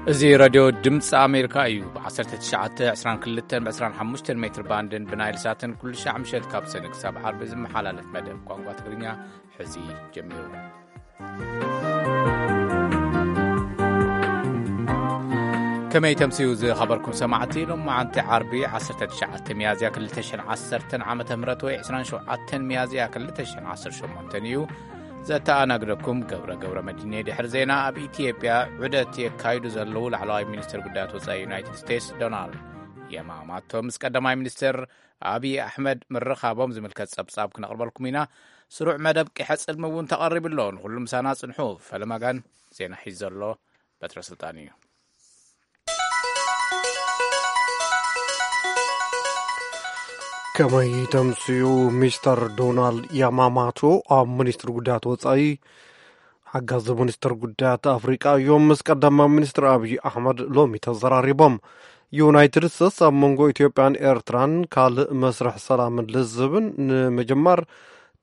እዚ ሬድዮ ድምፂ ኣሜሪካ እዩ። ብ1922 ብ25 ሜትር ባንድን ብናይል ሳትን ኩሉ ሻዕ ምሸት ካብ ሰነ ክሳብ ዓርቢ ዝመሓላለፍ መደብ ቋንቋ ትግርኛ ሕዚ ጀሚሩ። ከመይ ተምስዩ ዝኸበርኩም ሰማዕቲ? ሎማዓንቲ ዓርቢ 19 ሚያዝያ 2010 ዓመተ ምህረት ወይ 27 ሚያዝያ 2018 እዩ። ዘተኣናግደኩም ገብረ ገብረ መድኔ። ድሕሪ ዜና፣ ኣብ ኢትዮጵያ ዑደት የካይዱ ዘለዉ ላዕለዋይ ሚኒስትር ጉዳያት ወጻኢ ዩናይትድ ስቴትስ ዶናልድ የማማቶ ምስ ቀዳማይ ሚኒስትር ኣብዪ ኣሕመድ ምርኻቦም ዝምልከት ጸብጻብ ክነቕርበልኩም ኢና። ስሩዕ መደብ ቂሐ ጽልሚ እውን ተቐሪቡ ኣሎ። ንኹሉ ምሳና ጽንሑ። ፈለማጋን ዜና ሒዙ ዘሎ በትረ ስልጣን እዩ። ከመይ ተምስዩ? ሚስተር ዶናልድ ያማማቶ ኣብ ሚኒስትሪ ጉዳያት ወጻኢ ሓጋዚ ሚኒስትር ጉዳያት ኣፍሪቃ እዮም ምስ ቀዳማይ ሚኒስትር ኣብዪ ኣሕመድ ሎሚ ተዘራሪቦም። ዩናይትድ ስቴትስ ኣብ መንጎ ኢትዮጵያን ኤርትራን ካልእ መስርሕ ሰላምን ልዝብን ንምጅማር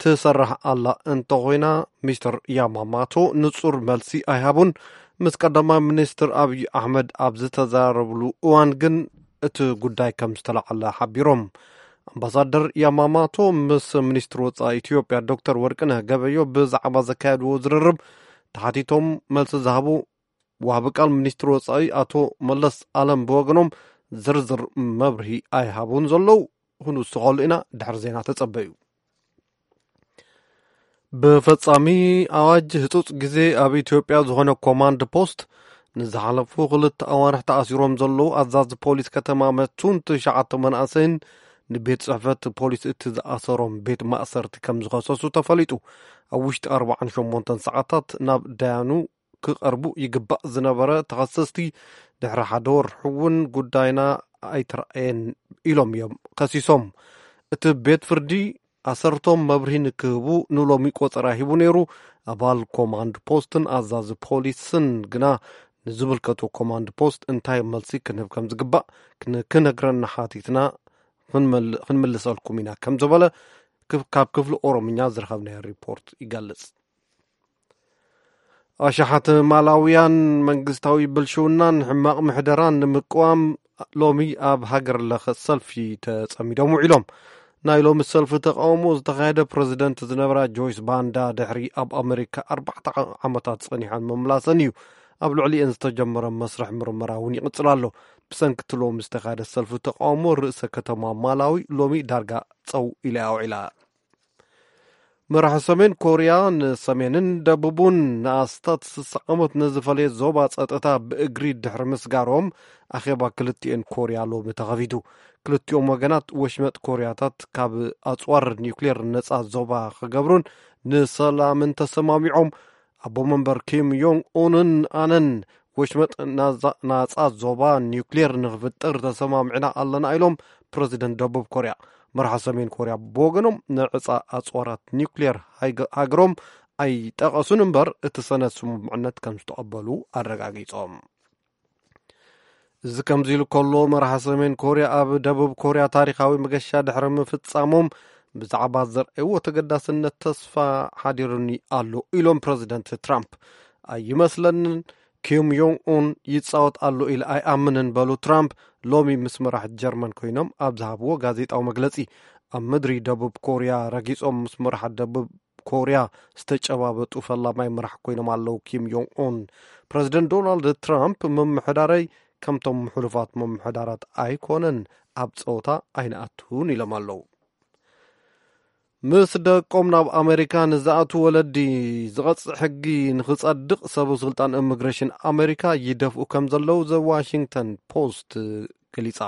ትሰርሕ ኣላ እንተኾይና፣ ሚስተር ያማማቶ ንጹር መልሲ ኣይሃቡን። ምስ ቀዳማይ ሚኒስትር ኣብዪ ኣሕመድ ኣብ ዝተዘራረብሉ እዋን ግን እቲ ጉዳይ ከም ዝተላዕለ ሓቢሮም። ኣምባሳደር ያማማቶ ምስ ሚኒስትር ወጻኢ ኢትዮጵያ ዶክተር ወርቅነህ ገበዮ ብዛዕባ ዘካየድዎ ዝርርብ ተሓቲቶም መልሲ ዝሃቡ ወሃቢ ቃል ሚኒስትር ወጻኢ ኣቶ መለስ ኣለም ብወገኖም ዝርዝር መብርሂ ኣይሃቡን ዘለዉ። ክንውስኸሉ ኢና፣ ድሕሪ ዜና ተጸበዩ። ብፈጻሚ ኣዋጅ ህጹጽ ግዜ ኣብ ኢትዮጵያ ዝኾነ ኮማንድ ፖስት ንዝሓለፉ ክልተ ኣዋርሕ ተኣሲሮም ዘለዉ ኣዛዚ ፖሊስ ከተማ መቱን ትሽዓተ መናእሰይን ንቤት ጽሕፈት ፖሊስ እቲ ዝኣሰሮም ቤት ማእሰርቲ ከም ዝኸሰሱ ተፈሊጡ። ኣብ ውሽጢ ኣርባዓን ሸሞንተን ሰዓታት ናብ ዳያኑ ክቐርቡ ይግባእ ዝነበረ ተኸሰስቲ ድሕሪ ሓደ ወርሒ እውን ጉዳይና ኣይተረኣየን ኢሎም እዮም ከሲሶም። እቲ ቤት ፍርዲ ኣሰርቶም መብርሂ ንክህቡ ንሎሚ ቆጸራ ሂቡ ነይሩ። ኣባል ኮማንድ ፖስትን ኣዛዚ ፖሊስን ግና ንዝምልከቶ ኮማንድ ፖስት እንታይ መልሲ ክንህብ ከም ዝግባእ ክን-፣ ክነግረና ሓቲትና ክንመል-፣ ክንምልሰልኩም ኢና ከም ዝበለ ክፍ-፣ ካብ ክፍሊ ኦሮምኛ ዝረኸብናዮ ሪፖርት ይገልጽ። ኣሽሓት ማላውያን መንግስታዊ ብልሽውናን ሕማቕ ምሕደራን ንምቅዋም ሎሚ ኣብ ሃገር ለኸ ሰልፊ ተጸሚዶም ውዒሎም። ናይ ሎሚ ሰልፊ ተቃውሞ ዝተኻየደ ፕረዚደንት ዝነበራ ጆይስ ባንዳ ድሕሪ ኣብ ኣመሪካ ኣርባዕተ ዓመታት ጸኒሐን ምምላሰን እዩ። ኣብ ልዕሊኤን ዝተጀመረ መስርሕ ምርመራ እውን ይቕጽል ኣሎ። ብሰንኪ እቲ ሎሚ ዝተኻየደ ሰልፊ ተቃውሞ ርእሰ ከተማ ማላዊ ሎሚ ዳርጋ ጸው ኢላ እያ ውዒላ። መራሒ ሰሜን ኮርያ ንሰሜንን ደቡቡን ንኣስታት ስሳ ዓመት ንዝፈለየ ዞባ ጸጥታ ብእግሪ ድሕሪ ምስጋሮም ኣኼባ ክልቲኤን ኮርያ ሎሚ ተኸፊቱ። ክልቲኦም ወገናት ወሽመጥ ኮርያታት ካብ ኣጽዋር ኒውክሌር ነጻ ዞባ ክገብሩን ንሰላምን ተሰማሚዖም። ኣቦ መንበር ኪም ዮንግ ኡንን ኣነን ወሽመጥ ናዛ-፣ ናጻ ዞባ ኒውክሌር ንኽፍጠር ተሰማሚዕና ኣለና ኢሎም ፕረዚደንት ደቡብ ኮርያ። መራሒ ሰሜን ኮርያ ብወገኖም ንዕጻ ኣጽዋራት ኒውክሌር ሃይገ-፣ ሃገሮም ኣይጠቐሱን እምበር እቲ ሰነድ ስምምዕነት ከም ዝተቐበሉ ኣረጋጊጾም። እዚ ከምዚ ኢሉ ከሎ መራሒ ሰሜን ኮርያ ኣብ ደቡብ ኮርያ ታሪኻዊ መገሻ ድሕሪ ምፍጻሞም ብዛዕባ ዘርእይዎ ተገዳስነት ተስፋ ሓዲሩኒ ኣሎ ኢሎም ፕረዚደንት ትራምፕ። ኣይመስለንን ኪም ዮንግ ኡን ይጻወት ኣሎ ኢለ ኣይኣምንን በሉ ትራምፕ ሎሚ ምስ መራሕቲ ጀርመን ኮይኖም ኣብ ዝሃብዎ ጋዜጣዊ መግለጺ። ኣብ ምድሪ ደቡብ ኮርያ ረጊጾም ምስ መራሕቲ ደቡብ ኮርያ ዝተጨባበጡ ፈላማይ መራሕ ኮይኖም ኣለዉ ኪም ዮንግ ኡን። ፕረዚደንት ዶናልድ ትራምፕ ምምሕዳረይ ከምቶም ሕሉፋት ምምሕዳራት ኣይኮነን፣ ኣብ ጸወታ ኣይንኣቱን ኢሎም ኣለዉ። ምስ ደቆም ናብ ኣሜሪካ ንዝኣቱ ወለዲ ዝቐጽዕ ሕጊ ንኽጸድቕ ሰበ ስልጣን ኢሚግሬሽን ኣሜሪካ ይደፍኡ ከም ዘለዉ ዘ ዋሽንግተን ፖስት ገሊጻ።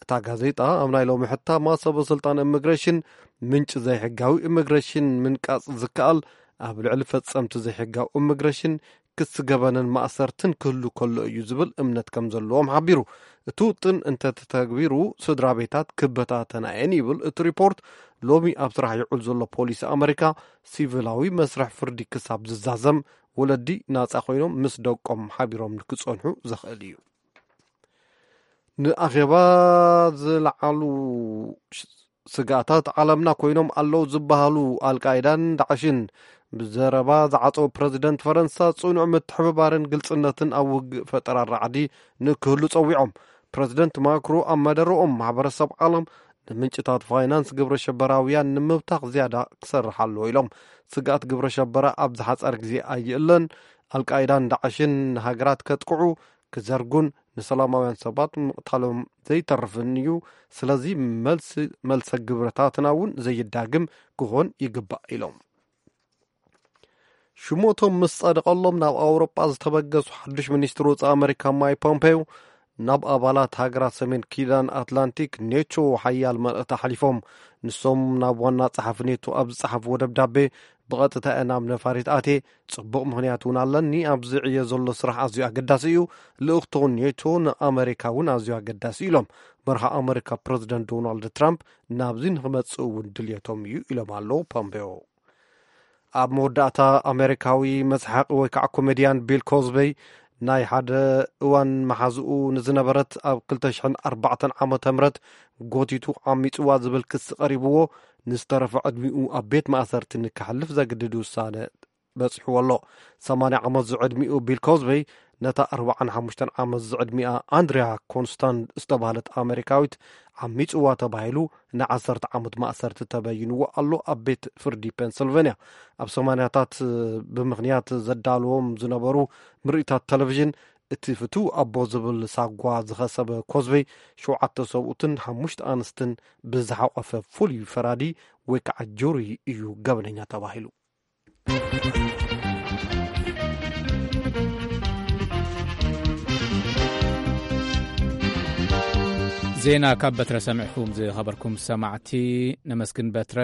እታ ጋዜጣ ኣብ ናይ ሎሚ ሕታማ ሰበ ስልጣን ኢሚግሬሽን ምንጪ ዘይሕጋዊ ኢሚግሬሽን ምንቃጽ ዝከኣል ኣብ ልዕሊ ፈጸምቲ ዘይሕጋዊ ኢሚግሬሽን ክሲ ገበንን ማእሰርትን ክህሉ ከሎ እዩ ዝብል እምነት ከም ዘለዎም ሓቢሩ። እቲ ውጥን እንተተተግቢሩ ስድራ ቤታት ክበታተና እየን ይብል እቲ ሪፖርት። ሎሚ ኣብ ስራሕ ይውዕል ዘሎ ፖሊሲ ኣመሪካ ሲቪላዊ መስርሕ ፍርዲ ክሳብ ዝዛዘም ወለዲ ናጻ ኮይኖም ምስ ደቆም ሓቢሮም ንክጸንሑ ዘኽእል እዩ። ንኣኼባ ዝለዓሉ ሽ-፣ ስግኣታት ዓለምና ኮይኖም ኣለዉ ዝበሃሉ ኣልቃይዳን ዳዕሽን ብዘረባ ዝዓጸው ፕረዚደንት ፈረንሳ፣ ጽኑዕ ምትሕብባርን ግልጽነትን ኣብ ውግእ ፈጠራ ራዕዲ ንክህሉ ጸዊዖም። ፕረዚደንት ማክሮ ኣብ መደረኦም፣ ማሕበረሰብ ዓለም ንምንጭታት ፋይናንስ ግብረ ሸበራውያን ንምብታኽ ዝያዳ ክሰርሕ ኣለዎ ኢሎም። ስግኣት ግብረ ሸበራ ኣብ ዝሓጸረ ግዜ ኣይእለን። ኣልቃይዳን ዳዕሽን ንሃገራት ከጥቅዑ፣ ክዘርጉን ንሰላማውያን ሰባት ምቕታሎም ዘይተርፍን እዩ። ስለዚ መልሲ፣ መልሰ ግብረታትና እውን ዘይዳግም ክኾን ይግባእ ኢሎም። ሽሞቶም ምስ ጸደቐሎም ናብ ኣውሮጳ ዝተበገሱ ሓድሽ ሚኒስትር ወጻኢ ኣመሪካ ማይክ ፖምፔዮ፣ ናብ ኣባላት ሃገራት ሰሜን ኪዳን ኣትላንቲክ ኔቶ ሓያል መልእኽቲ ኣሕሊፎም። ንሶም ናብ ዋና ጸሓፊ ኔቶ ኣብ ዝጸሓፍዎ ደብዳቤ፣ ብቐጥታ እየ ናብ ነፋሪት ኣትየ፣ ጽቡቕ ምኽንያት እውን ኣለኒ። ኣብዚ ዕዮ ዘሎ ስራሕ ኣዝዩ ኣገዳሲ እዩ። ልእኽቶ ኔቶ ንኣመሪካ እውን ኣዝዩ ኣገዳሲ ኢሎም። መርሃ ኣመሪካ ፕረዚደንት ዶናልድ ትራምፕ ናብዚ ንክመጽእ እውን ድልየቶም እዩ ኢሎም ኣለዉ ፖምፔዮ። ኣብ መወዳእታ፣ ኣሜሪካዊ መስሓቂ ወይ ከዓ ኮሜድያን ቢል ኮዝበይ፣ ናይ ሓደ እዋን መሓዝኡ ንዝነበረት፣ ኣብ ክልተ ሽሕን ኣርባዕተን ዓመተ ምህረት ጎቲቱ ዓሚጽዋ ዝብል ክሲ ቀሪብዎ፣ ንዝተረፈ ዕድሚኡ ኣብ ቤት ማእሰርቲ ንክሕልፍ ዘግድድ ውሳነ በጺሕዎ ኣሎ። ሰማንያ ዓመት ዝዕድሚኡ ቢል ኮዝበይ፣ ነታ ኣርባዓን ሓሙሽተን ዓመት ዝዕድሚኣ ኣንድሪያ ኮንስታንድ ዝተባህለት ኣሜሪካዊት ዓሚጽዋ ተባሂሉ ንዓሰርተ ዓመት ማእሰርቲ ተበይንዎ ኣሎ ኣብ ቤት ፍርዲ ፔንስልቨንያ። ኣብ ሰማንያታት ብምኽንያት ዘዳልዎም ዝነበሩ ምርኢታት ቴሌቪዥን፣ እቲ ፍቱው ኣቦ ዝብል ሳጓ ዝኸሰበ ኮዝበይ፣ ሸውዓተ ሰብኡትን ሓሙሽተ ኣንስትን ብዝሓቆፈ ፍሉይ ፈራዲ ወይ ከዓ ጁሪ እዩ ገበነኛ ተባሂሉ። ዜና ካብ በትረ ሰሚዕኩም ዝኸበርኩም ሰማዕቲ፣ ነመስግን በትረ።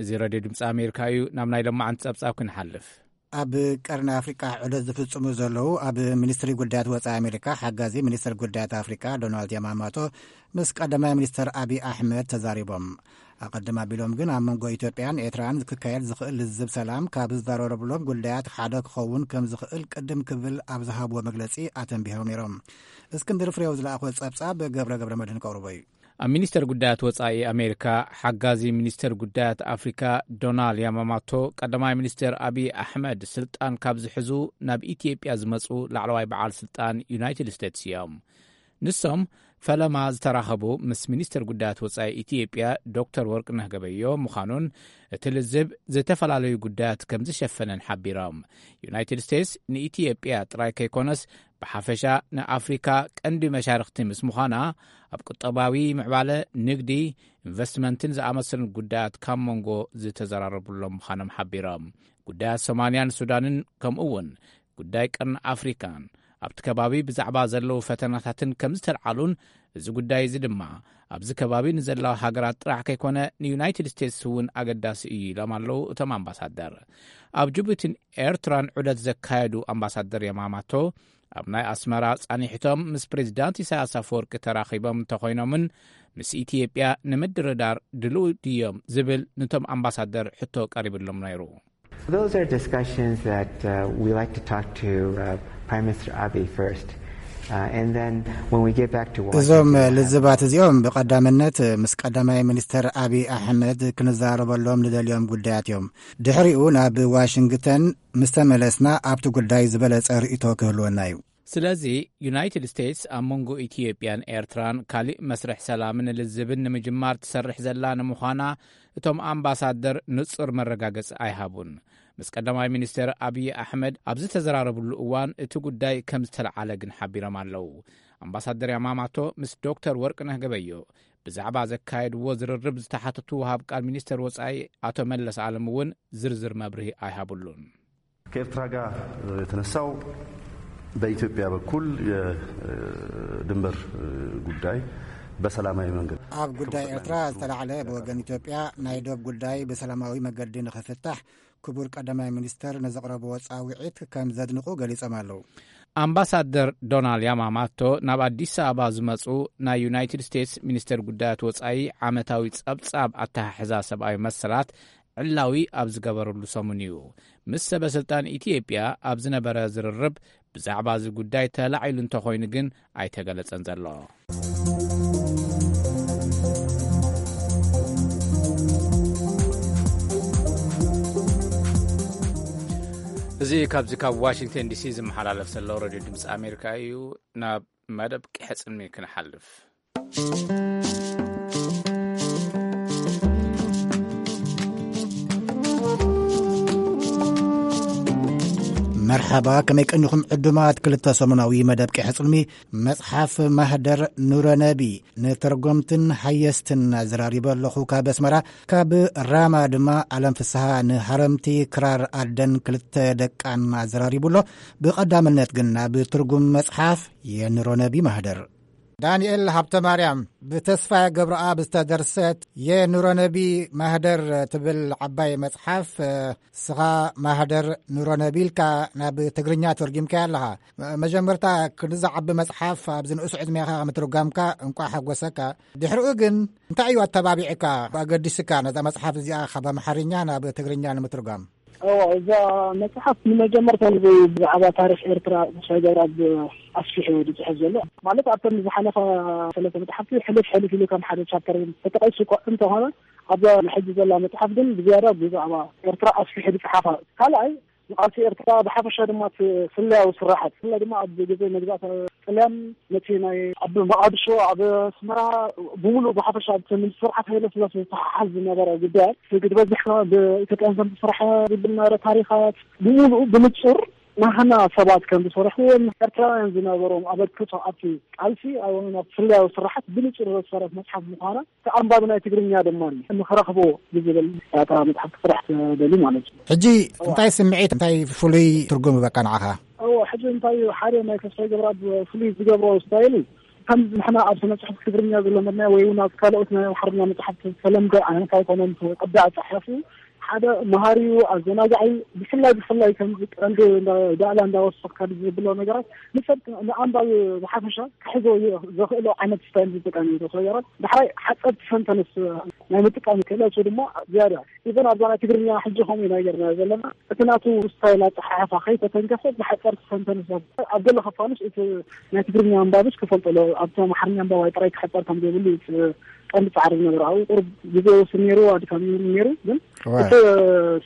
እዚ ሬድዮ ድምፂ ኣሜሪካ እዩ። ናብ ናይ ሎማዓንቲ ጸብጻብ ክንሓልፍ። ኣብ ቀርኒ ኣፍሪቃ ዑደት ዝፍጽሙ ዘለዉ ኣብ ሚኒስትሪ ጉዳያት ወጻኢ ኣሜሪካ ሓጋዚ ሚኒስትር ጉዳያት ኣፍሪቃ ዶናልድ ያማማቶ ምስ ቀዳማይ ሚኒስትር ኣቢ ኣሕመድ ተዛሪቦም። ኣቐድም ኣቢሎም ግን ኣብ መንጎ ኢትዮጵያን ኤርትራን ክካየድ ዝኽእል ልዝብ ሰላም ካብ ዝዛረረብሎም ጉዳያት ሓደ ክኸውን ከም ዝኽእል ቅድም ክብል ኣብ ዝሃብዎ መግለጺ ኣተንቢሆም ነይሮም። እስክንድር ፍሬው ዝለኣኾ ጸብጻብ ገብረ ገብረ መድህን ከቕርቦ እዩ። ኣብ ሚኒስተር ጉዳያት ወጻኢ ኣሜሪካ ሓጋዚ ሚኒስተር ጉዳያት ኣፍሪካ ዶናልድ ያማማቶ፣ ቀዳማይ ሚኒስተር ኣቢይ ኣሕመድ ስልጣን ካብ ዝሕዙ ናብ ኢትዮጵያ ዝመጹ ላዕለዋይ በዓል ስልጣን ዩናይትድ ስቴትስ እዮም። ንሶም ፈለማ ዝተራኸቡ ምስ ሚኒስተር ጉዳያት ወጻኢ ኢትዮጵያ ዶክተር ወርቅነህ ገበዮ ምዃኑን፣ እቲ ልዝብ ዝተፈላለዩ ጉዳያት ከም ዝሸፈነን ሓቢሮም። ዩናይትድ ስቴትስ ንኢትዮጵያ ጥራይ ከይኮነስ፣ ብሓፈሻ ንኣፍሪካ ቀንዲ መሻርኽቲ ምስ ምዃና፣ ኣብ ቁጠባዊ ምዕባለ፣ ንግዲ፣ ኢንቨስትመንትን ዝኣመሰሉ ጉዳያት ካብ መንጎ ዝተዘራረቡሎም ምዃኖም ሓቢሮም። ጉዳያት ሶማልያን ሱዳንን፣ ከምኡ እውን ጉዳይ ቀርኒ ኣፍሪካን ኣብቲ ከባቢ ብዛዕባ ዘለዉ ፈተናታትን ከም ዝተልዓሉን፣ እዚ ጉዳይ እዚ ድማ ኣብዚ ከባቢ ንዘለዋ ሃገራት ጥራሕ ከይኮነ ንዩናይትድ ስቴትስ እውን ኣገዳሲ እዩ ኢሎም ኣለዉ እቶም ኣምባሳደር። ኣብ ጅቡቲን ኤርትራን ዑደት ዘካየዱ ኣምባሳደር የማማቶ፣ ኣብ ናይ ኣስመራ ጻኒሕቶም ምስ ፕሬዚዳንት ኢሳያስ ኣፈወርቂ ተራኺቦም እንተኾይኖምን ምስ ኢትዮጵያ ንምድርዳር ድልው ድዮም ዝብል ንቶም ኣምባሳደር ሕቶ ቀሪብሎም ነይሩ። Those are discussions that uh, we like to talk to uh, Prime Minister Abe first. Uh, and then when we get back to እዞም Washington, ልዝባት እዚኦም ብቐዳምነት ምስ ቀዳማይ ሚኒስተር ኣቢይ ኣሕመድ ክንዛረበሎም ንደልዮም ጉዳያት እዮም። ድሕሪኡ ናብ ዋሽንግተን ምስ ተመለስና ኣብቲ ጉዳይ ዝበለጸ ርእይቶ ክህልወና እዩ። ስለዚ ዩናይትድ ስቴትስ ኣብ መንጎ ኢትዮጵያን ኤርትራን ካሊእ መስርሕ ሰላምን ልዝብን ንምጅማር ትሰርሕ ዘላ ንምዃና እቶም ኣምባሳደር ንጹር መረጋገጺ ኣይሃቡን። ምስ ቀዳማይ ሚኒስትር ኣብዪ ኣሕመድ ኣብ ዝተዘራረብሉ እዋን እቲ ጉዳይ ከም ዝተለዓለ ግን ሓቢሮም ኣለዉ። ኣምባሳደር ያማማቶ ምስ ዶክተር ወርቅነህ ገበዮ ብዛዕባ ዘካየድዎ ዝርርብ ዝተሓተቱ ወሃብ ቃል ሚኒስትር ወጻኢ ኣቶ መለስ ኣለም እውን ዝርዝር መብርሂ ኣይሃብሉን። ከኤርትራ ጋር የተነሳው በኢትዮጵያ በኩል የድንበር ጉዳይ በሰላማዊ መንገድ ኣብ ጉዳይ ኤርትራ ዝተላዕለ ብወገን ኢትዮጵያ ናይ ዶብ ጉዳይ ብሰላማዊ መገዲ ንኽፍታሕ ክቡር ቀዳማይ ሚኒስተር ንዘቕረብዎ ጻውዒት ከም ዘድንቑ ገሊጾም ኣለዉ። ኣምባሳደር ዶናልድ ያማማቶ ናብ ኣዲስ ኣበባ ዝመጹ ናይ ዩናይትድ ስቴትስ ሚኒስተር ጉዳያት ወጻኢ ዓመታዊ ጸብጻብ ኣተሓሕዛ ሰብኣዊ መሰላት ዕላዊ ኣብ ዝገበረሉ ሰሙን እዩ። ምስ ሰበ ስልጣን ኢትዮጵያ ኣብ ዝነበረ ዝርርብ ብዛዕባ እዚ ጉዳይ ተላዒሉ እንተኾይኑ ግን ኣይተገለጸን ዘሎ። እዚ ካብዚ ካብ ዋሽንግተን ዲሲ ዝመሓላለፍ ዘሎ ሬድዮ ድምፂ ኣሜሪካ እዩ። ናብ መደብ ቂሐ ጽልሚ ክንሓልፍ። መርሓባ፣ ከመይ ቀኒኹም ዕዱማት? ክልተ ሰሙናዊ መደብ ቂሐ ጽልሚ፣ መጽሓፍ ማህደር ኑረነቢ፣ ንተርጎምትን ሃየስትን ኣዘራሪበ ኣለኹ ካብ ኣስመራ። ካብ ራማ ድማ ኣለም ፍስሃ ንሃረምቲ ክራር ኣደን ክልተ ደቃን ኣዘራሪቡ ኣሎ። ብቐዳምነት ግን ናብ ትርጉም መጽሓፍ የኑረነቢ ማህደር። ዳንኤል ሃብተ ማርያም፣ ብተስፋ ገብረኣብ ዝተደርሰት የኑረነቢ ማህደር ትብል ዓባይ መጽሓፍ፣ ስኻ ማህደር ኑረነቢ ኢልካ ናብ ትግርኛ ተርጊምካያ ኣለኻ። መ-፣ መጀመርታ ክንዲ ዝዓቢ መጽሓፍ ኣብዚ ንኡስ ዕድሜኻ ምትርጓምካ እንቋዕ ሓጎሰካ። ድሕሪኡ ግን እንታይ እዩ ኣተባቢዕካ፣ ኣገዲስካ ነዛ መጽሓፍ እዚኣ ካብ ኣምሓርኛ ናብ ትግርኛ ንምትርጓም? እዋ፣ እዛ መጽሓፍ ንመጀመርታ ግዜ ብዛዕባ ታሪኽ ኤርትራ ተስፋይ ገብረኣብ ኣስፊሑ እዩ ዝጽሕፍ ዘሎ። ማለት ኣብተን ዝሓለፋ ሰለስተ መጽሓፍቲ ሕልፍ ሕልፍ ኢሉ ከም ሓደ ቻፕተር ተጠቒሱ እኳ እንተኾነ፣ ኣብዛ ሕጂ ዘላ መጽሓፍ ግን ብዝያዳ ብዛዕባ ኤርትራ ኣስፊሑ ዝጸሓፋ። ካልኣይ፣ ንቃልሲ ኤርትራ ብሓፈሻ ድማ እቲ ስለያዊ ስራሓት፣ ብፍላይ ድማ ኣብ ግዜ መግዛእቲ ጥልያን ነቲ ናይ ኣብ መቓድሾ፣ ኣብ ኣስመራ ብምሉእ ብሓፈሻ ኣብቲ ምስ ስርዓት ሃይለ ስላሴ ዝተሓሓዝ ዝነበረ ጉዳያት፣ እቲ ግድበት ዝሕፋ ብኢትዮጵያን ከም ዝተሰርሐ ዝብል ዝነበረ ታሪኻት ብምሉእ ብንጹር ናህና ሰባት ከም ዝሰርሕዎ ኤርትራውያን ዝነበሮም ኣበርክቶ ኣብቲ ቃልሲ ኣብ ናብ ስለያዊ ስራሓት ብንጹር ዘስፈረት መጽሓፍ ምዃና እቲ ኣንባቢ ናይ ትግርኛ ድማ ንኽረኽቦ ብዝብል እታ መጽሓፍ ክስራሕ ትደሊ ማለት እዩ። ሕጂ እንታይ ስምዒት፣ እንታይ ፍሉይ ትርጉም ይበካ ንዓኻ? እዎ፣ ሕጂ እንታይ እዩ፣ ሓደ ናይ ተስፋይ ገብረኣብ ፍሉይ ዝገብሮ ስታይል እዩ። ከም ንሕና ኣብ ስነ ጽሑፍ ትግርኛ ዝለመድናዮ ወይ እውን ኣብ ካልኦት ናይ ኣምሓርኛ መጽሓፍቲ ዝተለምደ ዓይነት ኣይኮነን። እቲ ቅዲ ኣጻሓሕፉ ሓደ መሃሪ እዩ፣ ኣዘናጋዒ እዩ። ብፍላይ ብፍላይ ከምዚ ቀንዲ እንዳ-፣ ዳእላ እንዳወሰኽካ ዝብሎ ነገራት ንሰብ ንኣንባቢ ብሓፈሻ ክሕዞ ዘኽእሎ ዓይነት ስታይል ዝጥቀም እዩ። ተስፋ ገብረኣብ ዳሕራይ ሓጸርቲ ሰንተንስ ናይ ምጥቃም ክእለቱ ድማ ዝያዳ ኢቨን ኣብዛ ናይ ትግርኛ ሕጂ ከምኡ ኢና ጌርና ዘለና። እቲ ናቱ ስታይል ኣጸሓሕፋ ከይተተንከፈ ብሓጸርቲ ሰንተንስ ኣብ ገለ ክፋሉስ እቲ ናይ ትግርኛ ኣንባብስ ክፈልጦ ኣሎ። ኣብቲ ኣምሓርኛ ኣንባባይ ጥራይ ክሕጸር ከም ዘይብሉ እዩ እቲ ቀንዲ ጻዕሪ ዝነበረ። ኣብኡ ቁሩብ ግዜ ይወስድ ነይሩ፣ ኣድካሚ እውን ነይሩ። ግን እዋ። እቲ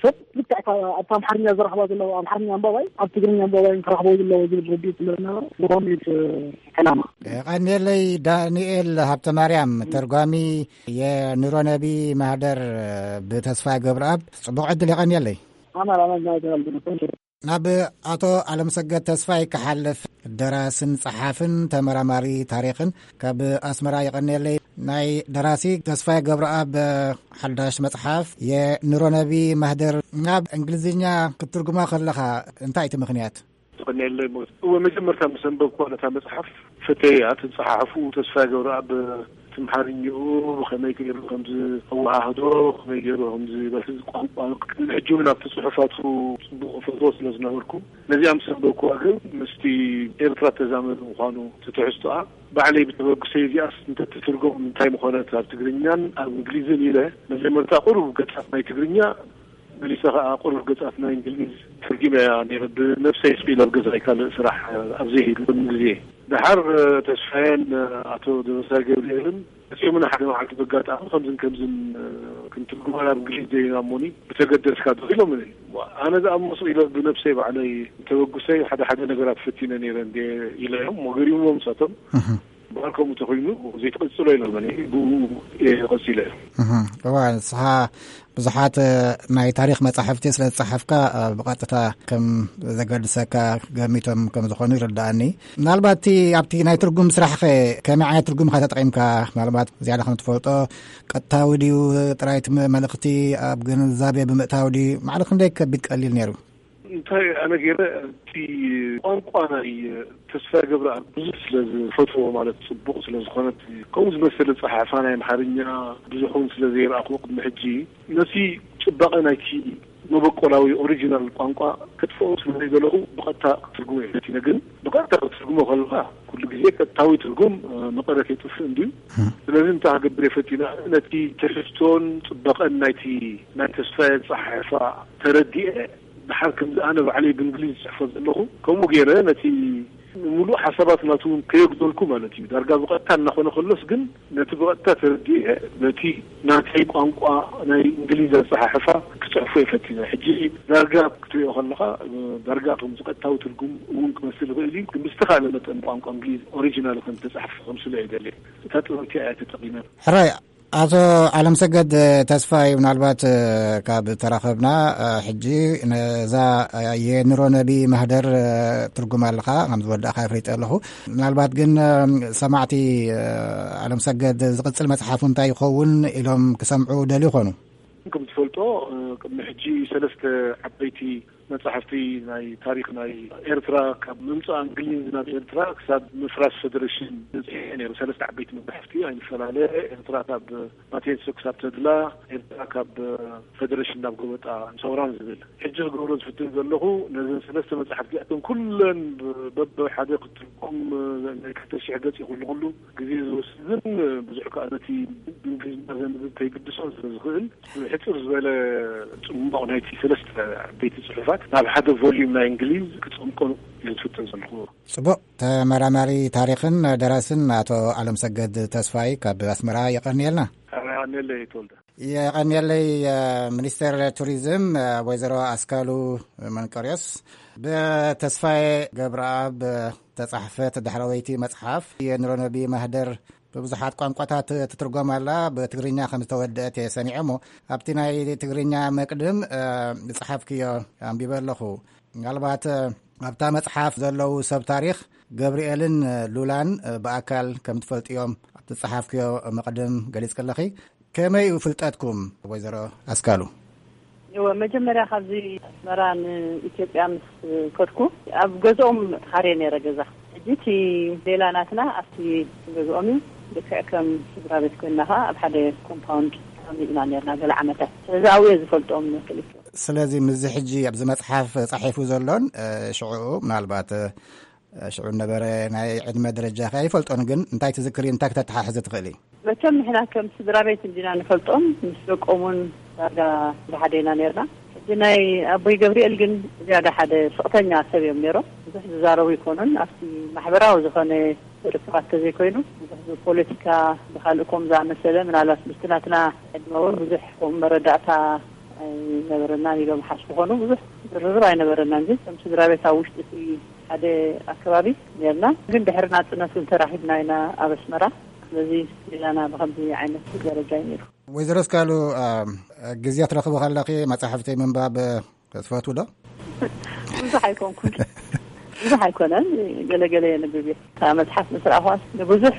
ሰብ ልክዕ እታ ኣብቲ ኣምሓርኛ ዝረኽባ ዘለዉ ኣምሓርኛ ኣንባባይ ኣብ ትግርኛ ኣንባባይ ክረኽቦ ዘለዎ ዝብል ርድኢት ስለ ዝነበረ፣ ብኸምኡ እዩ እቲ ዕላማ። የቐንየለይ ዳንኤል ሃብተ ማርያም፣ ተርጓሚ የኑረነቢ ማህደር ብተስፋ ገብረኣብ። ጽቡቕ ዕድል፣ የቐንየለይ። ኣማን፣ ኣማን፣ ናይ ተባልኩ። ናብ ኣቶ ኣለምሰገድ ተስፋይ ክሓልፍ፣ ደራስን ጸሓፍን ተመራማሪ ታሪኽን ካብ ኣስመራ። የቐንየለይ። ናይ ደራሲ ተስፋይ ገብረኣብ ሓዳሽ መጽሓፍ የኑረነቢ ማህደር ናብ እንግሊዝኛ ክትትርጉማ ከለኻ እንታይ እቲ ምኽንያት? ትቕንየለይ ሞት። እወ፣ መጀመርታ ምስ ኣንበብኩዋ ነታ መጽሓፍ ፈተያ፣ እቲ ዝጸሓሕፉ ተስፋ ገብረኣብ ትምሓርኝኡ ብኸመይ ገይሩ ከም ዝኣወሃህዶ፣ ብኸመይ ገይሩ ከም ዝበልሒ ቋንቋ፣ ቅድሚ ሕጂ እውን ኣብቲ ጽሑፋቱ ጽቡቕ እፈትዎ ስለ ዝነበርኩ፣ ነዚኣ ምስ ኣንበብኩዋ ግን ምስቲ ኤርትራ ተዛመዱ ምዃኑ፣ እቲ ትሕዝቶኣ ባዕለይ ብተበግሰይ እዚኣስ እንተትትርጎም እንታይ ምኾነት ኣብ ትግርኛን ኣብ እንግሊዝን ኢለ መጀመርታ ቁሩብ ገጻት ናይ ትግርኛ መሊሰ ኸኣ ቁሩብ ገጻት ናይ እንግሊዝ ተርጊመያ ነይረ። ብነብሰይ ስቕ ኢለ ኣብ ገዛይ ካልእ ስራሕ ኣብ ዘይህሉ ቅድሚ ግዜ። ደሓር ተስፋየን ኣቶ ደበሳይ ገብርኤልን መጺኦምና ሓደ መዓልቲ ብኣጋጣሚ ከምዝን ከምዝን ክንትርጉማ ናብ እንግሊዝ ደይና እሞኒ ብተገደስካ ዶ ኢሎምኒ። ኣነ ደኣ እሞ ስቕ ኢለ ብነብሰይ ባዕለይ ተበግሰይ ሓደ ሓደ ነገራት ፈቲነ ነይረ እንዴ ኢለዮም። እሞ ገሪሙዎም ንሳቶም። እህ። እምበኣር ከምኡ ተኾይኑ ዘይትቐጽሎ ኢሎምኒ፣ ብኡ እየ ቀጺለ። እህ፣ እዋ፣ ንስኻ ብዙሓት፣ እ፣ ናይ ታሪኽ መጻሕፍቲ ስለ ዝጸሓፍካ፣ እ፣ ብቐጥታ ከም ዘገድሰካ ገሚቶም ከም ዝኾኑ ይርድኣኒ። ምናልባት እቲ ኣብቲ ናይ ትርጉም ስራሕኸ ከመይ ዓይነት ትርጉም ኢኻ ተጠቒምካ? ምናልባት ዝያዳ ከም ትፈልጦ ቀጥታዊ ድዩ ጥራይ እቲ መ-፣ መልእኽቲ ኣብ ግንዛቤ ብምእታው ድዩ? ማዕረ ክንደይ ከቢድ ቀሊል ነይሩ? እንታይ ኣነ ገይረ፣ እቲ ቋንቋ ናይ ተስፋ ገብረኣብ ብዙሕ ስለ ዝፈትዎ፣ ማለት ጽቡቕ ስለ ዝኾነት፣ ከምኡ ዝመሰለ ጸሓሕፋ ናይ ኣምሓርኛ ብዙሕ እውን ስለ ዘይረኣኹ ቅድሚ ሕጂ፣ ነቲ ጽባቐ ናይቲ መበቆላዊ ኦሪጂናል ቋንቋ ከጥፍኦ ስለ ዘይደለኹ ብቐጥታ ክትርጉሞ እየ ፈቲነ። ግን ብቐጥታ ክትርጉሞ ከለኻ ኩሉ ግዜ ቀጥታዊ ትርጉም፣ እ፣ መቐረት የጥፍእ እንድዩ። እም። ስለዚ እንታይ ክገብር እየ ፈቲነ፣ ነቲ ትሕዝቶን ጽባቐን ናይቲ ናይ ተስፋ ኣጸሓሕፋ ተረዲኤ፣ ደሓር ከምዚ ኣነ ባዕለይ ብእንግሊዝ ዝጽሕፎ ዘለኹ፣ ከምኡ ገይረ ነቲ ንምሉእ ሓሳባት ናቱ እውን ከየጉደልኩ ማለት እዩ። ዳርጋ ብቐጥታ እናኾነ ከሎስ ግን ነቲ ብቐጥታ ተረዲኤ፣ ነቲ ናተይ ቋንቋ ናይ እንግሊዝ ኣጸሓሕፋ ክጽሕፎ እየ ፈቲነ። ሕጂ ዳርጋ ክትሪኦ ከለኻ፣ ዳርጋ ከም ዝቐጥታዊ ትርጉም እውን ክመስል ይኽእል እዩ፣ ግን ብዝተኻእለ መጠን ቋንቋ እንግሊዝ ኦሪጂናል ከም ዝተጻሕፈ ከምስሎ እየ ደልየ። እታ ጥበብ እቲኣ እያ ተጠቒመ። ሕራይ፣ ኣቶ ዓለምሰገድ ተስፋይ፣ ምናልባት ካብ ተራኸብና ሕጂ ነዛ የኑሮ ነቢ ማህደር ትርጉም ኣለኻ ከም ዝወዳእኻ ኣፍሊጠ ኣለኹ። ምናልባት ግን ሰማዕቲ ዓለምሰገድ ዝቕጽል መጽሓፉ እንታይ ይኸውን ኢሎም ክሰምዑ ደልዩ ይኾኑ። ከም ትፈልጦ ቅድሚ ሕጂ ሰለስተ ዓበይቲ መጻሕፍቲ ናይ ታሪኽ ናይ ኤርትራ፣ ካብ ምምጻእ እንግሊዝ ናብ ኤርትራ ክሳብ ምፍራስ ፌደሬሽን፣ በጺሐ ነይሩ። ሰለስተ ዓበይቲ መጻሕፍቲ፣ ኣይንፈላለ፣ ኤርትራ ካብ ማቴንሶ ክሳብ ተድላ፣ ኤርትራ ካብ ፌደሬሽን ናብ ጎበጣ ሰውራን ዝብል። ሕጂ ክገብሮ ዝፍትን ዘለኹ፣ ነዘን ሰለስተ መጻሕፍቲ እዚኣተን ኩለን በብሓደ ክትርጎም ናይ ክልተ ሽሕ ገጽ እዩ። ኩሉ ኩሉ ግዜ ዝወስድን ብዙሕ ከኣ ነቲ ብእንግሊዝኛ ዘንብብ ከይግድሶን ስለ ዝኽእል፣ ሕጽር ዝበለ ጽሙቕ ናይቲ ሰለስተ ዓበይቲ ጽሑፋት ናብ ሓደ ቮልዩም ናይ እንግሊዝ ክጸምቆ እየ ዝፍትን ዘለኹ። ጽቡቕ። ተመራማሪ ታሪኽን ደራስን ኣቶ ዓለምሰገድ ተስፋይ ካብ ኣስመራ የቐንየልና። ኣነ የቐንየለይ ተወልደ። የቐንየለይ። ሚኒስተር ቱሪዝም ወይዘሮ ኣስካሉ መንቀርዮስ፣ ብተስፋዬ ገብረኣብ ተጻሕፈት ዳሕረወይቲ መጽሓፍ የኑሮ ነቢ ማህደር ብብዙሓት ቋንቋታት ትትርጎም ኣላ። ብትግርኛ ከም ዝተወደአት እየ ሰሚዐ እሞ፣ ኣብቲ ናይ ትግርኛ መቅድም ዝጸሓፍክዮ ኣንቢበ ኣለኹ። ምናልባት ኣብታ መጽሓፍ ዘለዉ ሰብ ታሪኽ ገብርኤልን ሉላን ብኣካል ከም ትፈልጥዮም ኣብቲ ዝጸሓፍክዮ መቅድም ገሊጽክለኺ። ከመይ እዩ ፍልጠትኩም ወይዘሮ ኣስካሉ? እወ፣ መጀመርያ ካብዚ ኣስመራ ንኢትዮጵያ ምስ ከድኩ፣ ኣብ ገዝኦም ተኻርየ ነይረ ገዛ። ሕጂ እቲ ሌላ ናትና ኣብቲ ገዝኦም እዩ። ልክዕ ከም ስድራ ቤት ኮይንና ኸዓ ኣብ ሓደ ኮምፓውንድ ተቐሚጥና ነይርና ገለ ዓመታት። ስለዚ ኣብኡ እየ ዝፈልጦም ክልቲኦም። ስለዚ ምስዚ ሕጂ ኣብዚ መጽሓፍ ጻሒፉ ዘሎን፣ እ፣ ሽዑ ምናልባት፣ እ፣ ሽዑ ነበረ ናይ ዕድመ ደረጃ ከ ኣይፈልጦን፣ ግን እንታይ ትዝክሪ፣ እንታይ ክተተሓሕዚ ትኽእሊ? መቸም ንሕና ከም ስድራ ቤት እንዲና ንፈልጦም፣ ምስ ደቆም እውን ዳርጋ ብሓደ ኢና ነርና። ሕጂ ናይ ኣቦይ ገብርኤል ግን ዝያዳ ሓደ ስቕተኛ ሰብ እዮም ነይሮም። ብዙሕ ዝዛረቡ ኣይኮኑን። ኣብቲ ማሕበራዊ ዝኾነ ርክባት ተዘይኮይኑ፣ ብዙሕ ብፖለቲካ ብካልእ ከም ዝኣመሰለ፣ ምናልባት ምስቲ ናትና ዕድመ እውን ብዙሕ ከምኡ መረዳእታ ኣይነበረናን ኢሎም ሓስቡ ኮኑ። ብዙሕ ዝርርብ ኣይነበረናን፣ ግን ከም ስድራ ቤት ኣብ ውሽጢ እቲ ሓደ ኣከባቢ ነርና። ግን ድሕሪ ናጽነት እውን ተራኺብና ኢና ኣብ ኣስመራ። ስለዚ ሌላና ብኸምዚ ዓይነት ደረጃ እዩ ነይሩ። ወይዘሮ እስካሉ፣ አ፣ ግዜ ትረኽቡ ከለኺ መጻሕፍቲ ምንባብ ትፈትዉ ዶ? ብዙሕ ኣይኮንኩን። ብዙሕ ኣይኮነን። ገለ ገለ የንብብ እየ። እታ መጽሓፍ ምስ ረኣኹዋስ ንብዙሕ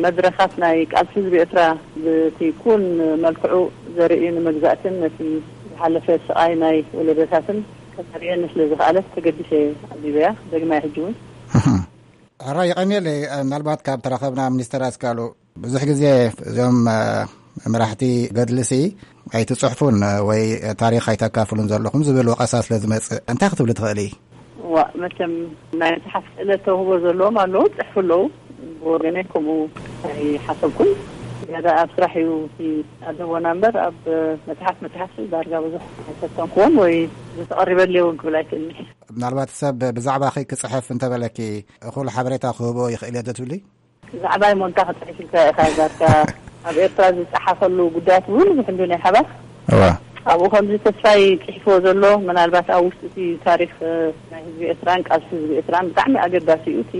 መድረኻት ናይ ቃልሲ ህዝቢ ኤርትራ ብቲ ኩን መልክዑ ዘርእዩ፣ ንመግዛእትን ነቲ ዝሓለፈ ስቓይ ናይ ወለዶታትን ከተርእየኒ ስለ ዝኸኣለት ተገዲሰ ኣንቢበያ። ደግማይ ሕጂ እውን። ሕራይ፣ የቐንየለይ። ምናልባት ካብ ተራኸብና ሚኒስተር ኣስካሉ፣ ብዙሕ ግዜ እዞም፣ እ፣ መራሕቲ ገድልሲ ኣይትጽሕፉን ወይ ታሪኽ ኣይተካፍሉን ዘለኹም ዝብል ወቐሳ ስለ ዝመጽእ፣ እንታይ ክትብሊ ትኽእሊ? ዋ፣ መቸም ናይ መጽሓፍ ክእለት ተውህቦ ዘለዎም ኣለዉ፣ ጽሕፉ ኣለዉ። ብወገነይ ከምኡ ኣይሓሰብኩን። ዝያዳ ኣብ ስራሕ እዩ እቲ ኣለዎና እምበር፣ ኣብ መጽሓፍ፣ መጽሓፍ ዳርጋ ብዙሕ ኣይፈተንኩዎን ወይ ዝተቐሪበለይ እውን ክብል ኣይክእልኒ። ምናልባት ሰብ ብዛዕባኺ ክጽሕፍ እንተበለኪ፣ እኹል ሓበሬታ ክህቦ ይኽእል እየ ዶ ትብሊ? ብዛዕባ ይሞንታ ክጽሕፍ ኢልካ ኢኻ ዳርጋ። ኣብ ኤርትራ ዝጸሓፈሉ ጉዳያት እውን ብዙሕ እንዱ ናይ ሓባር። እዋ። ኣብኡ ከምዚ ተስፋይ ጽሒፍዎ ዘሎ፣ ምናልባት ኣብ ውሽጢ እቲ ታሪኽ፣ እ፣ ናይ ህዝቢ ኤርትራን ቃልሲ ህዝቢ ኤርትራን ብጣዕሚ ኣገዳሲ እዩ። እቲ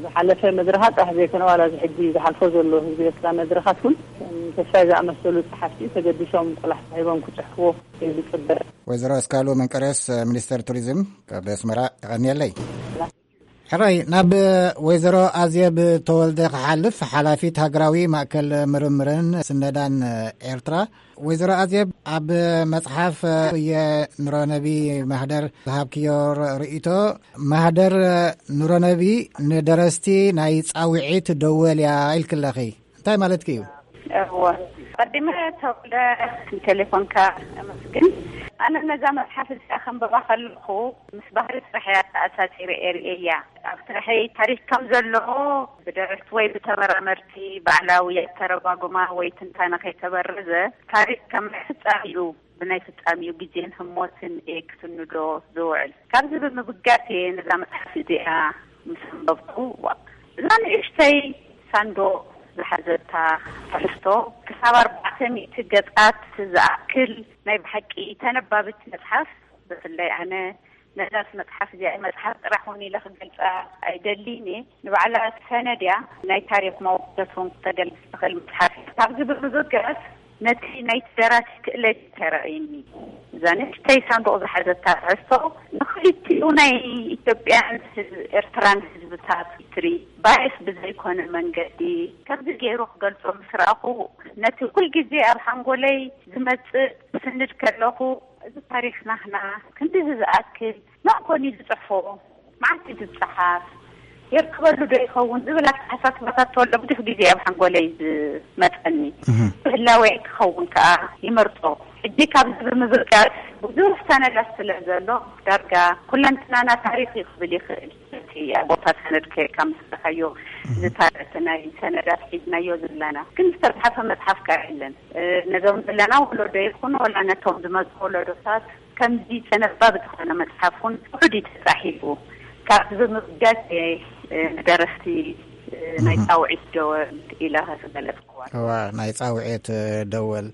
ዝሓለፈ መድረኻት ጥራሕ ዘይኮነ፣ ዋላ እዚ ሕጂ ዝሓልፎ ዘሎ ህዝቢ ኤርትራ መድረኻት እውን፣ ከም ተስፋይ ዝኣመሰሉ ጸሓፍቲ ተገዲሶም ቆላሕታ ሂቦም ክጽሕፍዎ ይጽበ። ወይዘሮ ኣስካሉ መንቀርዮስ፣ ሚኒስተር ቱሪዝም፣ ካብ ኣስመራ፣ የቐንየለይ። ሕራይ፣ ናብ ወይዘሮ ኣዜብ ተወልደ ክሓልፍ፣ ሓላፊት ሃገራዊ ማእከል ምርምርን ስነዳን ኤርትራ። ወይዘሮ ኣዜብ፣ ኣብ መጽሓፍ የኑረነቢ ማህደር ዝሃብክዮ ር-፣ ርእይቶ፣ ማህደር ኑረነቢ ንደረስቲ ናይ ጻውዒት ደወል እያ ኢልክለኺ። እንታይ ማለትኪ እዩ? እወ። ቀዲመ ተወልደ ንቴሌፎንካ ኣመስግን። ኣነ ነዛ መጽሓፍ እዚኣ ከንብባ ከለኹ ምስ ባህሪ ስራሕ እያ ተኣሳሲረ እየ ርእየያ። ኣብ ስራሐይ ታሪኽ ከም ዘሎ ብደረስቲ ወይ ብተመራመርቲ ባዕላዊ ኣተረጓጉማ ወይ ትንታነ ከይተበረዘ፣ ታሪኽ ከም ናይ ፍጻሜኡ፣ ብናይ ፍጻሜኡ ግዜን ህሞትን እየ ክስንዶ ዝውዕል። ካብዚ ብምብጋስ እየ ነዛ መጽሓፍ እዚኣ ምስ ኣንበብኩ፣ ዋ፣ እዛ ንእሽተይ ሳንዱቕ ዝሓዘታ ትሕዝቶ ክሳብ ኣርባዕተ ሚእቲ ገጻት ዝኣክል ናይ ብሓቂ ተነባብት መጽሓፍ፣ ብፍላይ ኣነ ነዛስ መጽሓፍ እዚኣ መጽሓፍ ጥራሕ እውን ኢለ ክገልጻ ኣይደሊን እየ። ንባዕላ ሰነድ እያ፣ ናይ ታሪኽ መወከስ እውን ክተገልጽ ትኽእል መጽሓፍ እያ። ካብዚ ብምብጋስ ነቲ ናይቲ ደራሲ ክእለት ተራእይኒ። እዛ ንእሽተይ ሳንዱቕ ዝሓዘታ ትሕዝቶ ንኽልቲኡ ናይ ኢትዮጵያን ህዝብ ኤርትራን ህዝብታት ሂስትሪ ባየስ ብዘይኮነ መንገዲ ከምዚ ገይሩ ክገልጾ ምስ ረኣኹ፣ ነቲ ኩልግዜ ኣብ ሓንጎለይ ዝመጽእ ስንድ ከለኹ፣ እዚ ታሪኽ ናህና ክንድዚ ዝኣክል መን ኮን እዩ ዝጽሕፎ? መዓስ እዩ ዝጸሓፍ? የርከበሉ ዶ ይኸውን ዝብል ኣተሓሳስባታት ተወልዶ ብዙሕ ግዜ ኣብ ሓንጎለይ ዝመጸኒ። እህ። ብህላወይ ክኸውን ከኣ ይመርጾ። ሕጂ ካብዚ ብምብጋስ ብዙሕ ሰነዳት ስለ ዘሎ፣ ዳርጋ ኩለንትናና ታሪኽ እዩ ክብል ይኽእል። እቲ ኣብ ቦታ ሰነድ ከይድካ ምስ ረኣኻዮ፣ እዚ ታሪኽ ናይ ሰነዳት ሒዝናዮ ዘለና ግን ዝተጻሕፈ መጽሓፍ ከኣ የለን። እ፣ ነዞም ዘለና ወለዶ ይኹን ወላ ነቶም ዝመጹ ወለዶታት ከምዚ ተነባቢ ዝኾነ መጽሓፍ እውን ውሑድ እዩ ተጻሒፉ። ካብዚ ብምብጋስ እየ፣ እ፣ ንደረስቲ፣ እ፣ ናይ እህ። ጻውዒት ደወል ኢለ ዝገለጽክዋ። እዋ፣ ናይ ጻውዒት፣ እ፣ ደወል።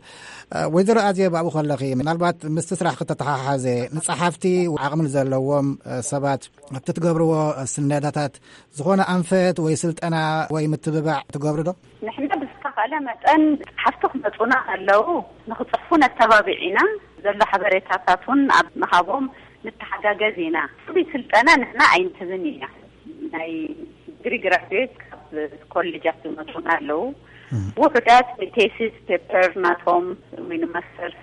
እ፣ ወይዘሮ ኣዜብ፣ ኣብኡ ከለኺ ምናልባት ምስቲ ስራሕ ክተተሓሓዘ ንጸሓፍቲ ዓቕሚ ዘለዎም፣ እ፣ ሰባት ኣብቲ ትገብርዎ ስነዳታት ዝኾነ ኣንፈት ወይ ስልጠና ወይ ምትብባዕ ትገብሩ ዶ? ንሕና ብዝተኻእለ መጠን ጸሓፍቲ ክመጹና ከለዉ ንኽጽሕፉ ነተባብዕ ኢና። ዘሎ ሓበሬታታት እውን ኣብ ምሃቦም ንተሓጋገዝ ኢና። ፍሉይ ስልጠና ንሕና ኣይንህብን ኢና። ናይ ዲግሪ ግራጁዌት ካብ ኮሌጃት ዝመጹና ኣለዉ። እም። ውሑዳት ንቴሲስ ፔፐር ናቶም ወይ ንማስተርስ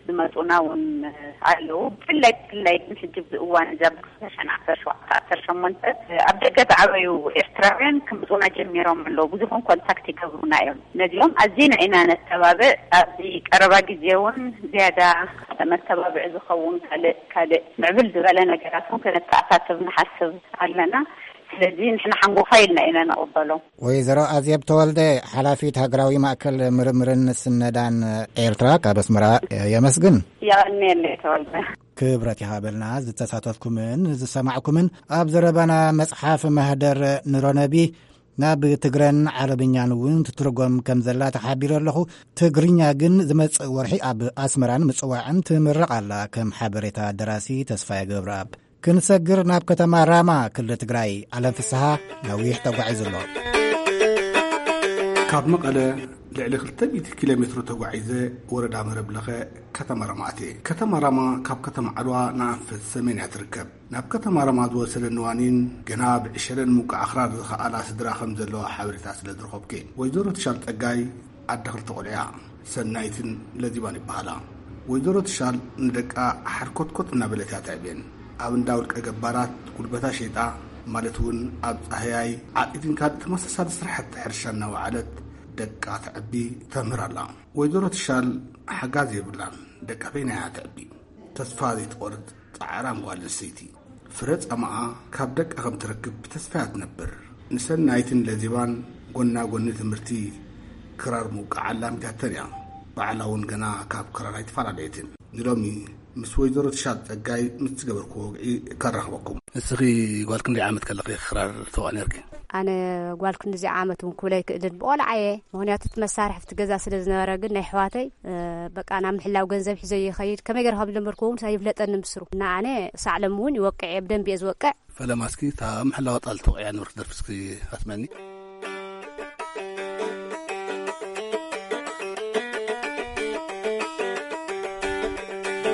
ዝመጹና እውን ኣለዉ። ብፍላይ፣ ብፍላይ ግን ሕጂ ኣብዚ እዋን እዚ ኣብ ክልተ ሽሕን ዓሰርተ ሸውዓተ ዓሰርተ ሸሞንተ ኣብ ደገ ዝዓበዩ ኤርትራውያን ክመጹና ጀሚሮም ኣለዉ። ብዙሕ እውን ኮንታክት ይገብሩና እዮም። ነዚኦም ኣዚና ኢና ነተባብዕ። ኣብዚ ቀረባ ግዜ እውን ዝያዳ መተባብዒ ዝኸውን ካልእ፣ ካልእ ምዕብል ዝበለ ነገራት እውን ከነተኣሳስብ ንሓስብ ኣለና። ስለዚ ንሕና ሓንጎፋይ ኢልና ኢና ንቕበሎም። ወይዘሮ ኣዜብ ተወልደ፣ ሓላፊት ሃገራዊ ማእከል ምርምርን ስነዳን ኤርትራ፣ ካብ ኣስመራ የመስግን። የቐንየለይ ተወልደ። ክብረት ይሃበልና ዝተሳተፍኩምን ዝሰማዕኩምን። ኣብ ዘረባና መጽሓፍ ማህደር ንሮነቢ ናብ ትግረን ዓረብኛን እውን ትትርጎም ከም ዘላ ተሓቢረ ኣለኹ። ትግርኛ ግን ዝመጽእ ወርሒ ኣብ ኣስመራን ምጽዋዕን ትምረቕ ኣላ። ከም ሓበሬታ ደራሲ ተስፋዬ ገብረኣብ። ክንሰግር ናብ ከተማ ራማ ክልል ትግራይ። ኣለም ፍስሃ ነዊሕ ተጓዒዙ ኣሎ። ካብ መቐለ ልዕሊ ክልተ ሚእቲ ኪሎ ሜትሮ ተጓዒዘ፣ ወረዳ መረብ ለኸ፣ ከተማ ራማ ኣትየ። ከተማ ራማ ካብ ከተማ ዓድዋ ንኣንፈት ሰሜን እያ ትርከብ። ናብ ከተማ ራማ ዝወሰደኒ ዋኒን ገና ብዕሸለን ምውቃዕ ኣኽራር ዝኸኣላ ስድራ ከም ዘለዋ ሓበሬታ ስለ ዝረኸብኩ እየ። ወይዘሮ ትሻል ጸጋይ ኣደ ክልተ ቆልዑ እያ። ሰናይትን ለዚባን ይበሃላ። ወይዘሮ ትሻል ንደቃ ሓርኮትኮት እናበለት እያ ተዕብየን። ኣብ እንዳ ውልቀ ገባራት ጉልበታ ሸይጣ፣ ማለት እውን ኣብ ጻህያይ፣ ዓጺድን ካልእ ተመሳሳሊ ስራሕቲ ሕርሻ እናወዓለት ደቃ ተዕቢ ተምህር ኣላ። ወይዘሮ ትሻል ሓጋዝ የብላን። ደቃ በይና እያ ተዕቢ። ተስፋ ዘይትቆርጽ ጻዕራም ጓል ኣንስተይቲ። ፍረ ጻማኣ ካብ ደቃ ከም ትረክብ ብተስፋ እያ ትነብር። ንሰናይትን ለዚባን ጎና ጎኒ ትምህርቲ ክራር ምውቃዕ ኣላሚዳተን እያ። ባዕላ እውን ገና ካብ ክራር ኣይተፈላለየትን። ንሎሚ ምስ ወይዘሮ ትሻል ጸጋይ ምስ ዝገበርኩዎ ወግዒ ከራኽበኩም። ንስኺ ጓል ክንደይ ዓመት ከለኺ ክራር ተዋእ ነርኪ? ኣነ ጓል ክንድዚ ዓመት እውን ክብል ኣይክእልን፣ ብቆልዓ እየ። ምኽንያቱ እቲ መሳርሒ ኣብቲ ገዛ ስለ ዝነበረ፣ ግን ናይ ኣሕዋተይ፣ እ፣ በቃ ናብ ምሕላው ገንዘብ ሒዘ ይኸይድ። ከመይ ገይረ ከም ዝለመድኩ እውን ኣይፍለጠንን ብስሩ። እና ኣነ ክሳዕ ሎሚ እውን ይወቅዕ እየ፣ ብደንቢ እየ ዝወቅዕ። ፈለማ እስኪ እታ ምሕላዋ ጣል ተወቂዓ ነበርክ ደርፊ እስኪ ኣስመኒ።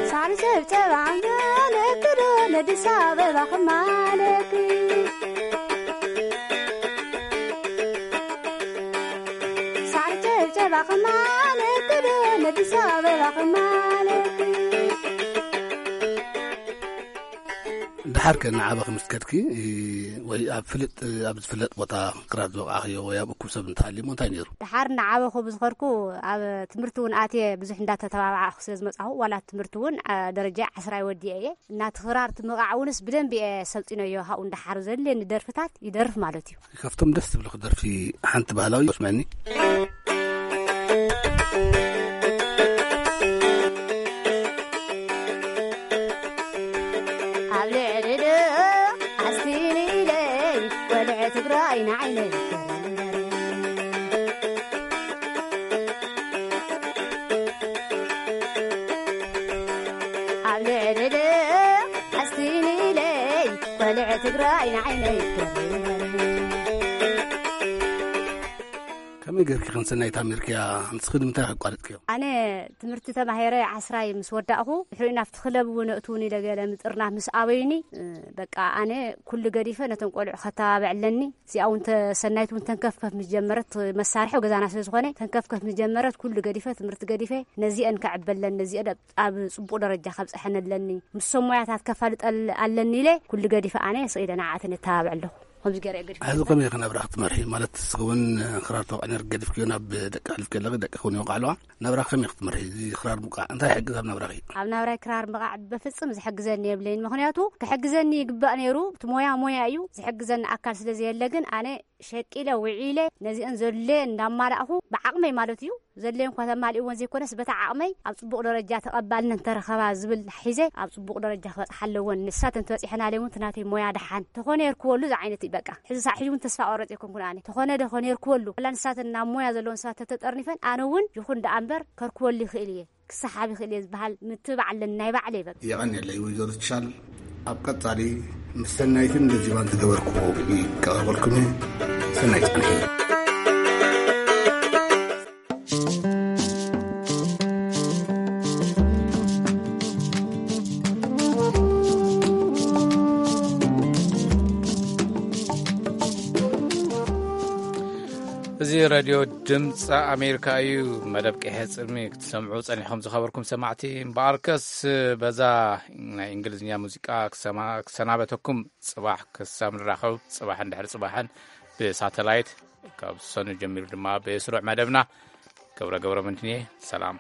ሳዕሪ ጨብጨባ ማለክ ዶ ነዲስ ኣበባ ክማለክ? ሳዕሪ ጨብጨባ ክማለክ ዶ ነዲስ ኣበባ ክማለክ? ድሓር ከ እናዓበኺ ምስ ከድኪ፣ ወይ ኣብ ፍልጥ፣ ኣብ ዝፍለጥ ቦታ ክራር ዝወቕዓኽዮ ወይ ኣብ እኩብ ሰብ እንተሃልዩሞ እንታይ ነይሩ? ድሓር እናዓበኹ ብዝኸድኩ ኣብ ትምህርቲ እውን ኣትየ ብዙሕ እንዳተተባባዕኹ ስለ ዝመጻኹ፣ ዋላ ትምህርቲ እውን፣ አ፣ ደረጃ ዓስራይ ወዲኤ እየ። እና እቲ ክራር እቲ ምቕዓዕ እውንስ ብደንቢ እየ ሰልጢነዮ። ሃኡ እንዳሓር ዘድልየኒ ደርፍታት ይደርፍ ማለት እዩ። ካብቶም ደስ ዝብልኺ ደርፊ ሓንቲ ባህላዊ ስምዐኒ። ኣብ ልዕሊ ዶ ኣስቲኒ ኢለይ ትግራይ ንዓይነይ ትከብር እምበር። ኣብ ልዕሊ ኣስቲኒለይ ቆልዕ ትግራይ ንዓይነይ ትከብር እምበር። ከመይ ጌርኪ ክንሰናይ ታሚርክያ? ንስኺ ንምንታይ ኣቋሪጽክዮ? ኣነ ትምህርቲ ተማሂረ ዓስራይ ምስ ወዳእኹ፣ ድሕሪኡ ናብቲ ክለብ እውን እእትውን ኢለ ገለ ምጥርናፍ ምስ ኣበዩኒ፣ እ፣ በቃ ኣነ ኩሉ ገዲፈ ነቶም ቆልዑ ከተባብዕ ኣለኒ። እዚኣ እውን ተ-፣ ሰናይት እውን ተንከፍከፍ ምስ ጀመረት፣ መሳርሒ ገዛና ስለ ዝኾነ፣ ተንከፍከፍ ምስ ጀመረት፣ ኩሉ ገዲፈ፣ ትምህርቲ ገዲፈ፣ ነዚአን ከዕበለን፣ ነዚአን ኣብ፣ ኣብ ጽቡቕ ደረጃ ከብጽሐን ኣለኒ። ምሶም ሞያታት ከፋልጠል ኣለኒ ኢለ፣ ኩሉ ገዲፈ ኣነ ስኢለ ንዓኣተን የተባብዕ ኣለኹ። ከምዚ ገይረ እየ ገዲፈ። ሕዚ ከመይ ኢኺ ናብራ ክትመርሒ? ማለት ንስኺ እውን ክራር ተወቅዒ ነይርኪ፣ ገዲፍክዮ ናብ ደቂ ኣሕሊፍኪ ኣለኺ፣ ደቂ እውን ይወቅዓ ኣለዋ። ናብራ ከመይ ክትመርሒ? እዚ ክራር ምውቃዕ እንታይ ይሕግዝ ኣብ ናብራኺ? ኣብ ናብራይ ክራር ምውቃዕ በፍጽም ዝሕግዘኒ የብለይን። ምኽንያቱ ክሕግዘኒ ይግባእ ነይሩ። እቲ ሞያ ሞያ እዩ። ዝሕግዘኒ ኣካል ስለ ዘየለ ግን ኣነ ሸቂለ ውዒለ ነዚአን ዘድለየን እንዳማላእኹ ብዓቕመይ ማለት እዩ። ዘድለየን እኳ ተማሊእወን ዘይኮነስ በታ ዓቕመይ ኣብ ጽቡቕ ደረጃ ተቐባልነት እንተረኸባ ዝብል ሒዘ ኣብ ጽቡቕ ደረጃ ክበጽሓ ኣለወን። ንሳተን ተበጺሐናለይ እውን እቲ ናተይ ሞያ ደሓን ተኾነ የርክበሉ ዝዓይነት እዩ በቃ። ሕዚ ሳዕ ሕጂ እውን ተስፋ ቆረጽ ኣይኮንኩን ኣነ። ተኾነ ደኾነ የርክበሉ። ዋላ ንሳተን ናብ ሞያ ዘለወን ሰባት ተተጠርኒፈን ኣነ እውን ይኹን ደኣ እምበር ከርክበሉ ይኽእል እየ። ክሰሓብ ይኽእል እየ ዝበሃል ምትብባዕ ኣለኒ ናይ ባዕለይ በቃ። የቐንየለይ ወይዘሮ ትሻል። ኣብ ቀጻሊ ምስ ሰናይትን ገዚባን ዝገበርክዎ ይቀባበልኩም እየ። ሰናይ ጻንሒ። እዚ ሬድዮ ድምፂ ኣሜሪካ እዩ። መደብ ቀይሐ ጽልሚ ክትሰምዑ ጸኒሖም ዝኸበርኩም ሰማዕቲ። እምበኣርከስ በዛ ናይ እንግሊዝኛ ሙዚቃ ክሰማ-፣ ክሰናበተኩም። ጽባሕ ክሳብ ንራኸብ፣ ጽባሕን ድሕሪ ጽባሕን ብሳተላይት፣ ካብ ሰኑ ጀሚሩ ድማ ብስሩዕ መደብና። ገብረ ገብረ ምንትንየ፣ ሰላም።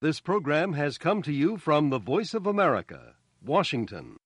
This program has come to you from the Voice of America, Washington.